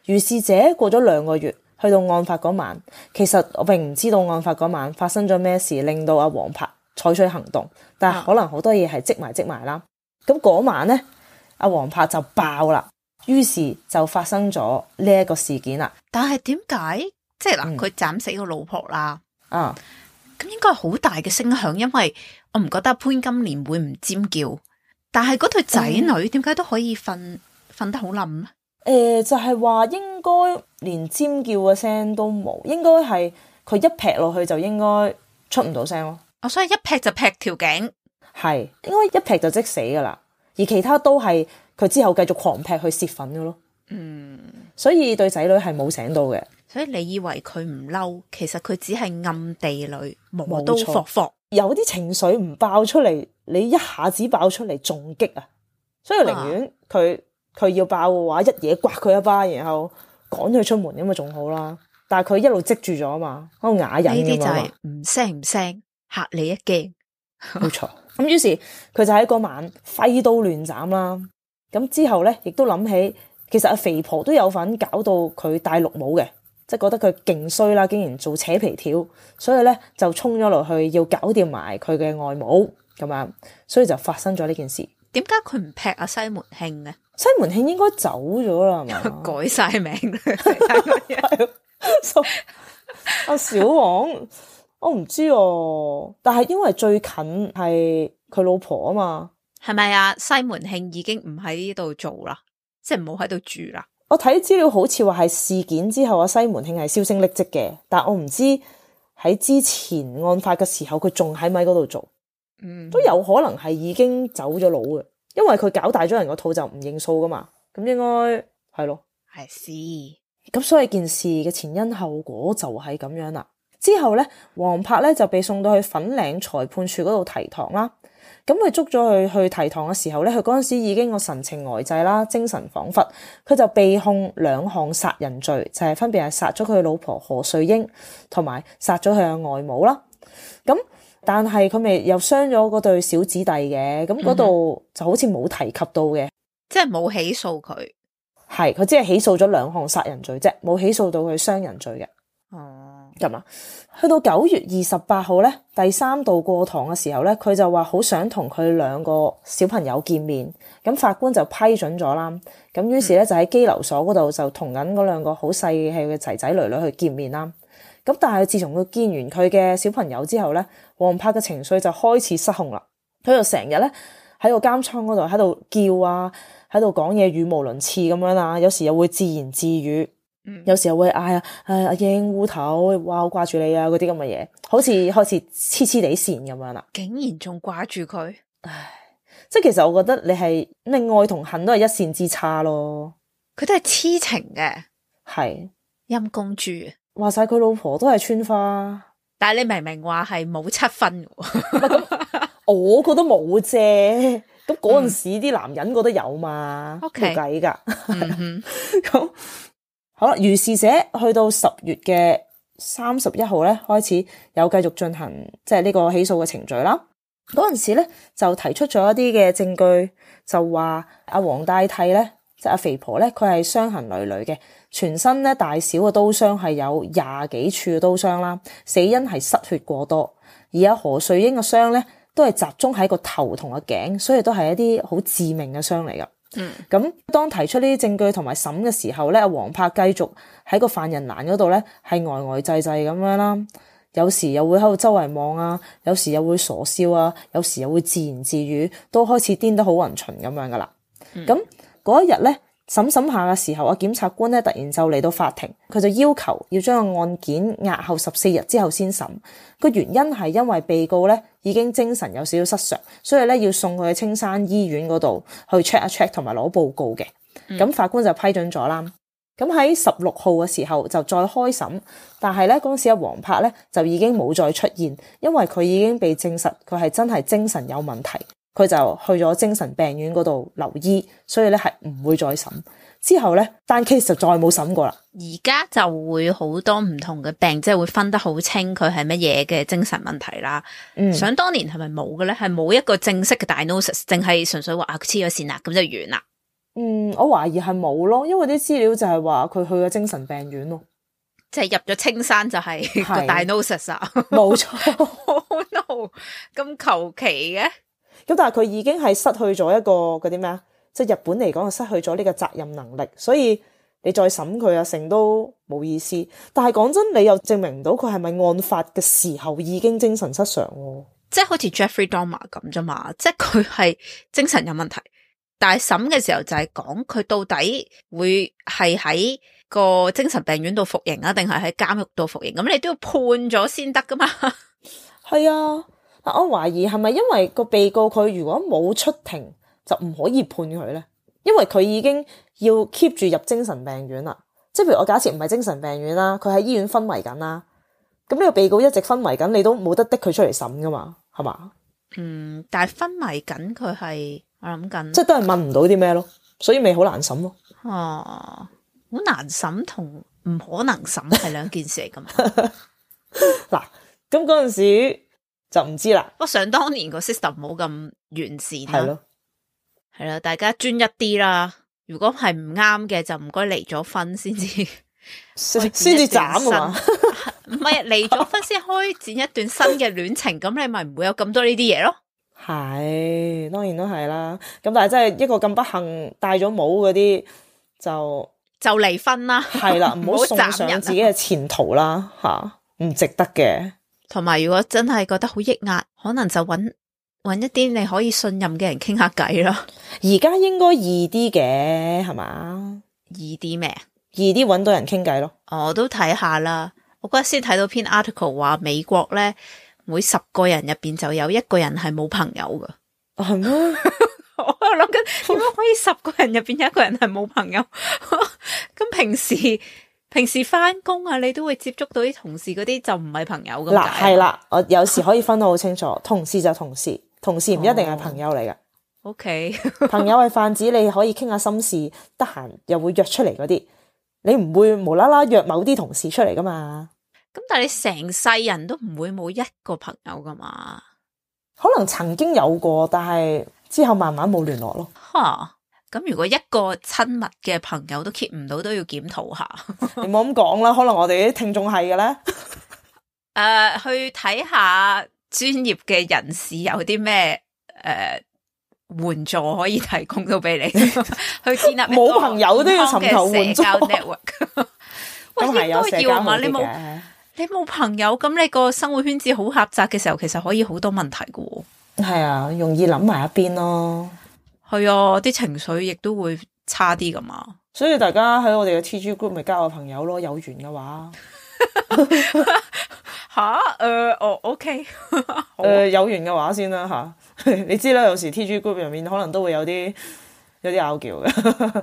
如是者過咗兩個月，去到案發嗰晚，其實我並唔知道案發嗰晚發生咗咩事，令到阿黃柏採取行動。但係可能好多嘢係積埋積埋啦。咁嗰晚咧，阿黃柏就爆啦，於是就發生咗呢一個事件啦。但係點解？即係嗱，佢斬死個老婆啦，啊，咁應該係好大嘅聲響，因為我唔覺得潘金蓮會唔尖叫，但係嗰對仔女點解都可以瞓瞓得好冧咧？誒、呃，就係、是、話應該連尖叫嘅聲都冇，應該係佢一劈落去就應該出唔到聲咯。哦，所以一劈就劈條頸，係應該一劈就即死噶啦，而其他都係佢之後繼續狂劈去泄憤噶咯。嗯，所以對仔女係冇醒到嘅。所以你以為佢唔嬲，其實佢只係暗地裏磨刀霍霍，有啲情緒唔爆出嚟，你一下子爆出嚟仲激啊！所以寧願佢佢要爆嘅話，一嘢刮佢一巴，然後趕佢出門咁啊，仲好啦。但係佢一路積住咗啊嘛，喺度啞忍咁啊嘛。呢啲就係唔聲唔聲嚇你一驚，冇錯。咁於是佢就喺嗰晚揮刀亂斬啦。咁之後咧，亦都諗起其實阿肥婆都有份搞到佢戴綠帽嘅。即係覺得佢勁衰啦，竟然做扯皮條，所以咧就衝咗落去要搞掂埋佢嘅外母咁樣，所以就發生咗呢件事。點解佢唔劈阿西門慶咧？西門慶應該走咗啦，係嘛？改晒名阿小王，我唔知哦、啊，但係因為最近係佢老婆啊嘛，係咪啊？西門慶已經唔喺呢度做啦，即係唔好喺度住啦。我睇資料好似話係事件之後，阿西門慶係銷聲匿跡嘅，但我唔知喺之前案發嘅時候佢仲喺咪嗰度做，嗯，都有可能係已經走咗佬嘅，因為佢搞大咗人個肚就唔認數噶嘛，咁應該係咯，係是，咁所以件事嘅前因後果就係咁樣啦。之後咧，黃柏咧就被送到去粉嶺裁判處嗰度提堂啦。咁佢捉咗佢去提堂嘅時候咧，佢嗰陣時已經個神情呆滯啦，精神恍惚，佢就被控兩項殺人罪，就係、是、分別係殺咗佢老婆何瑞英，同埋殺咗佢嘅外母啦。咁但係佢咪又傷咗嗰對小子弟嘅，咁嗰度就好似冇提及到嘅、嗯，即係冇起訴佢，係佢只係起訴咗兩項殺人罪啫，冇起訴到佢傷人罪嘅。哦。咁啊，去到九月二十八號咧，第三度過堂嘅時候咧，佢就話好想同佢兩個小朋友見面，咁法官就批准咗啦。咁於是咧就喺羈留所嗰度就同緊嗰兩個好細氣嘅仔仔女女去見面啦。咁但係自從佢見完佢嘅小朋友之後咧，黃柏嘅情緒就開始失控啦。佢就成日咧喺個監倉嗰度喺度叫啊，喺度講嘢語無倫次咁樣啊，有時又會自言自語。嗯、有時候會嗌啊，誒阿英烏頭，哇好掛住你啊，嗰啲咁嘅嘢，好似開始黐黐地線咁樣啦。竟然仲掛住佢，唉，即係其實我覺得你係你愛同恨都係一線之差咯。佢都係痴情嘅，係陰公豬，話晒佢老婆都係村花，但係你明明話係冇七分嘅，咁我覺得冇啫。咁咁嗰陣時啲男人覺得有嘛，冇計㗎。咁好啦，如是者去到十月嘅三十一號咧，開始有繼續進行即係呢個起訴嘅程序啦。嗰陣時咧就提出咗一啲嘅證據，就話阿黃大娣咧，即係阿肥婆咧，佢係傷痕累累嘅，全身咧大小嘅刀傷係有廿幾處嘅刀傷啦，死因係失血過多。而阿何瑞英嘅傷咧都係集中喺個頭同個頸，所以都係一啲好致命嘅傷嚟噶。嗯，咁當提出呢啲證據同埋審嘅時候咧，阿黃柏繼續喺個犯人欄嗰度咧係呆呆滯滯咁樣啦。有時又會喺度周圍望啊，有時又會傻笑啊，有時又會自言自語，都開始癲得好勻循咁樣噶啦。咁嗰一日咧審審下嘅時候，阿檢察官咧突然就嚟到法庭，佢就要求要將個案件押後十四日之後先審。個原因係因為被告咧已經精神有少少失常，所以咧要送佢去青山醫院嗰度去 check 一 check 同埋攞報告嘅。咁、嗯、法官就批准咗啦。咁喺十六號嘅時候就再開審，但係咧嗰陣時阿黃柏咧就已經冇再出現，因為佢已經被證實佢係真係精神有問題，佢就去咗精神病院嗰度留醫，所以咧係唔會再審。之後咧單 case 就再冇審過啦。而家就會好多唔同嘅病，即係會分得好清佢係乜嘢嘅精神問題啦。嗯，想當年係咪冇嘅咧？係冇一個正式嘅 diagnosis，淨係純粹話啊黐咗線啦，咁就完啦。嗯，我懷疑係冇咯，因為啲資料就係話佢去咗精神病院咯，即係入咗青山就係個 diagnosis 啊，冇錯。Oh no，咁求其嘅。咁但係佢已經係失去咗一個嗰啲咩啊，即係日本嚟講係失去咗呢個責任能力，所以你再審佢啊成都冇意思。但係講真，你又證明唔到佢係咪案發嘅時候已經精神失常喎？即係好似 Jeffrey Dahmer 咁啫嘛，即係佢係精神有問題。但係審嘅時候就係講佢到底會係喺個精神病院度服刑啊，定係喺監獄度服刑？咁你都要判咗先得噶嘛？係啊，我懷疑係咪因為個被告佢如果冇出庭就唔可以判佢咧？因為佢已經要 keep 住入精神病院啦。即係譬如我假設唔係精神病院啦，佢喺醫院昏迷緊啦，咁呢個被告一直昏迷緊，你都冇得逼佢出嚟審噶嘛？係嘛？嗯，但係昏迷緊佢係。我諗緊，即係都係問唔到啲咩咯，所以咪好難審咯。哦，好難審同唔可能審係兩件事嚟噶嘛？嗱，咁嗰陣時就唔知啦。不過想當年個 system 冇咁完善啦，係咯，係啦，大家專一啲啦。如果係唔啱嘅，就唔該離咗婚先至，先至斬啊嘛。唔係離咗婚先開展一段新嘅戀情，咁你咪唔會有咁多呢啲嘢咯。係，當然都係啦。咁但係真係一個咁不幸戴咗帽嗰啲，就就離婚啦。係啦，唔好送上自己嘅前途啦，吓唔值得嘅。同埋如果真係覺得好抑壓，可能就搵搵一啲你可以信任嘅人傾下偈咯。而家應該易啲嘅，係嘛？易啲咩？易啲搵到人傾偈咯。我都睇下啦。我嗰日先睇到篇 article 話美國咧，每十個人入邊就有一個人係冇朋友噶，係咩？我諗緊點解可以十個人入邊有一個人係冇朋友？咁平時平時翻工啊，你都會接觸到啲同事嗰啲就唔係朋友咁。嗱係啦，我有時可以分得好清楚，同事就同事，同事唔一定係朋友嚟噶。O K，朋友係泛指你可以傾下心事，得閒又會約出嚟嗰啲，你唔會無啦啦約某啲同事出嚟噶嘛。咁但係你成世人都唔會冇一個朋友噶嘛？可能曾經有過，但係之後慢慢冇聯絡咯。吓，咁如果一個親密嘅朋友都 keep 唔到，都要檢討下。你冇咁講啦，可能我哋啲聽眾係嘅咧。誒、呃，去睇下專業嘅人士有啲咩誒援助可以提供到俾你，去建立冇朋友都要尋求援助。喂，應該要嘛？你冇你冇朋友，咁你個生活圈子好狹窄嘅時候，其實可以好多問題噶。係啊，容易諗埋一邊咯。係啊，啲情緒亦都會差啲噶嘛。所以大家喺我哋嘅 T G group 咪交個朋友咯，有緣嘅話。吓，誒，哦，OK，誒，有緣嘅話先啦吓。你知啦，有時 T G group 入面可能都會有啲有啲拗撬嘅。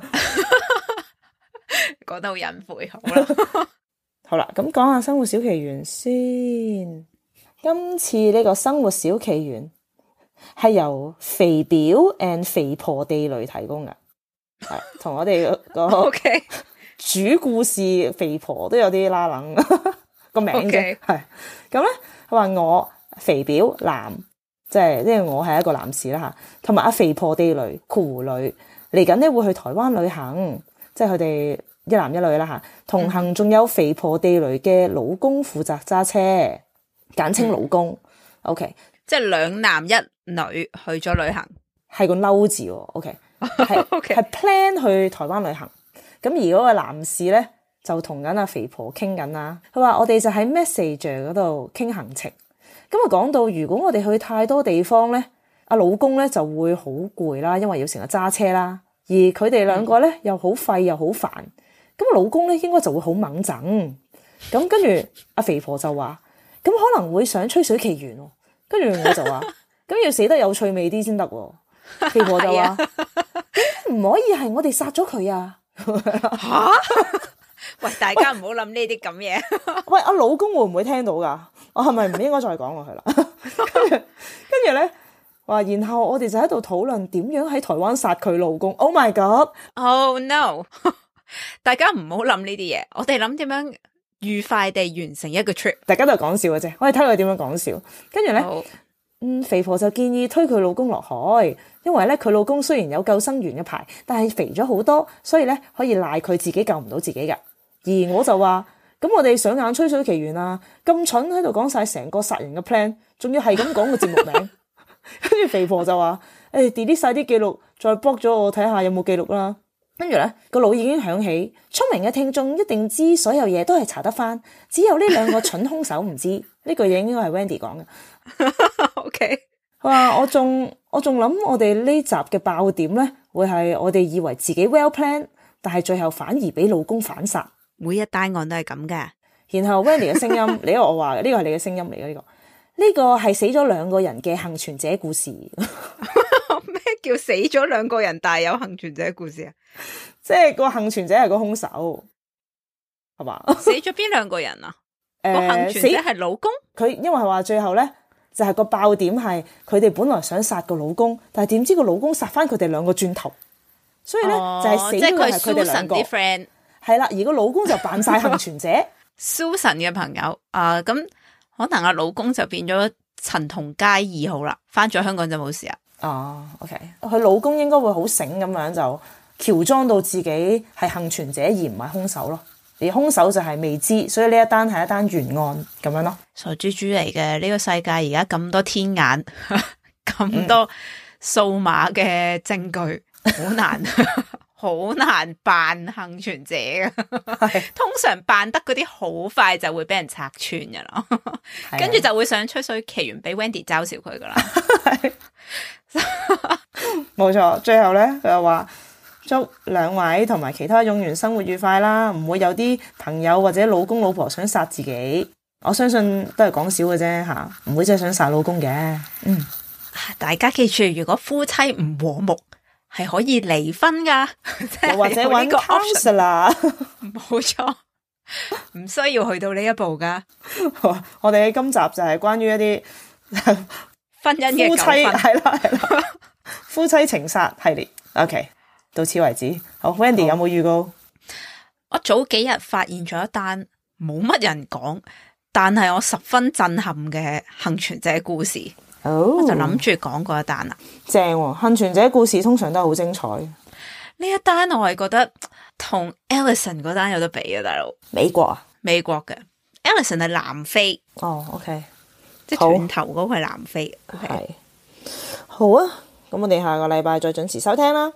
講得好隱晦，好啦。好啦，咁講下生活小奇緣先。今次呢個生活小奇緣係由肥表 and 肥婆地雷提供嘅，係同我哋個 OK 主故事肥婆都有啲拉冷個名啫，係咁咧。佢話我肥表男，即係即係我係一個男士啦嚇，同埋阿肥婆地雷酷女嚟緊咧會去台灣旅行，即係佢哋一男一女啦嚇，同行仲有肥婆地雷嘅老公負責揸車，簡稱老公。嗯、OK， 即係兩男一女去咗旅行，係個嬲字喎。OK， 係係 plan 去台灣旅行。咁而嗰個男士咧就同緊阿肥婆傾緊啦。佢話我哋就喺 Messenger 嗰度傾行程。咁啊講到如果我哋去太多地方咧，阿老公咧就會好攰啦，因為要成日揸車啦。而佢哋兩個咧又好廢又好煩。咁老公咧應該就會好猛整。咁跟住阿肥婆就話：咁可能會想吹水奇緣喎。跟住我就話：咁要死得有趣味啲先得喎。肥婆就話：唔可以係我哋殺咗佢啊！吓？喂，大家唔好諗呢啲咁嘢。喂，阿老公會唔會聽到噶？我係咪唔應該再講落去啦？跟住跟住咧話，然後我哋就喺度討論點樣喺台灣殺佢老公。Oh my god！Oh no！ 大家唔好諗呢啲嘢，我哋諗點樣愉快地完成一個 trip。大家都係講笑嘅啫，我哋睇佢點樣講笑。跟住咧，嗯，肥婆就建議推佢老公落海，因為咧佢老公雖然有救生員嘅牌，但係肥咗好多，所以咧可以賴佢自己救唔到自己噶。而我就話：咁我哋上眼吹水奇緣啊，咁蠢喺度講晒成個殺人嘅 plan， 仲要係咁講個節目名。跟住肥婆就話：誒 delete 晒啲記錄，再 block 咗我睇下有冇記錄啦。跟住咧個腦已經響起，聰明嘅聽眾一定知所有嘢都係查得翻，只有呢兩個蠢兇手唔知。呢句嘢應該係 Wendy 講嘅。OK， 佢話我仲我仲諗我哋呢集嘅爆點咧，會係我哋以為自己 well plan， 但係最後反而俾老公反殺。每一單案都係咁嘅。然後 Wendy 嘅聲音，你我話嘅呢個係你嘅聲音嚟嘅呢個，呢個係死咗兩個人嘅幸存者故事。咩叫死咗兩個人但係有幸存者故事啊？即係個幸存者係個兇手，係嘛？死咗邊兩個人啊？個、呃、幸存者係老公。佢因為係話最後咧，就係、是、個爆點係佢哋本來想殺個老公，但係點知個老公殺翻佢哋兩個轉頭，所以咧、哦、就係死咗係佢哋兩個。啲 friend 係啦，而個老公就扮晒幸存者。Susan 嘅朋友啊，咁、呃、可能阿老公就變咗陳同佳二號啦，翻咗香港就冇事啊。哦 ，OK， 佢老公應該會好醒咁樣就喬裝到自己係幸存者而唔係兇手咯，而兇手就係未知，所以呢一單係一單懸案咁樣咯。傻豬豬嚟嘅，呢、這個世界而家咁多天眼，咁多數碼嘅證據，好、嗯、難。好難扮幸存者嘅，通常扮得嗰啲好快就會俾人拆穿噶啦，跟住就會想吹水奇緣俾 Wendy 嘲笑佢噶啦。冇錯，最後咧佢又話祝兩位同埋其他勇員生活愉快啦，唔會有啲朋友或者老公老婆想殺自己，我相信都係講笑嘅啫吓，唔會真係想殺老公嘅。嗯，大家記住，如果夫妻唔和睦，係可以離婚噶，或者揾個 counselor，冇錯，唔需要去到呢一步噶。我哋喺今集就係關於一啲婚姻嘅夫妻係啦係啦，夫妻情殺系列。OK， 到此為止。好 ，Wendy 有冇預告？我早幾日發現咗一單冇乜人講，但係我十分震撼嘅幸存者故事。Oh, 我就諗住講嗰一單啦，正喎、哦！幸存者故事通常都係好精彩。呢一單我係覺得同 Ellison 嗰單有得比啊，大佬。美國啊，美國嘅 Ellison 係南非。哦、oh,，OK， 即係斷頭嗰個係南非。係、okay. 好啊，咁我哋下個禮拜再準時收聽啦。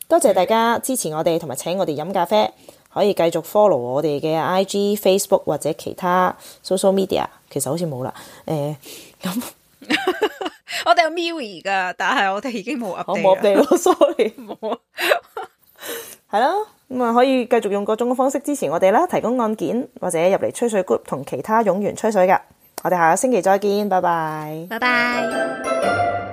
多謝大家支持我哋，同埋請我哋飲咖啡。可以繼續 follow 我哋嘅 I G、Facebook 或者其他 social media。其實好似冇啦，誒、呃、咁。我哋有 Miui 噶，但係我哋已經冇 update。我冇 update 咯，sorry。冇。係啦，咁啊可以繼續用各種嘅方式支持我哋啦，提供案件或者入嚟吹水 group 同其他勇員吹水噶。我哋下個星期再見，拜拜。拜拜。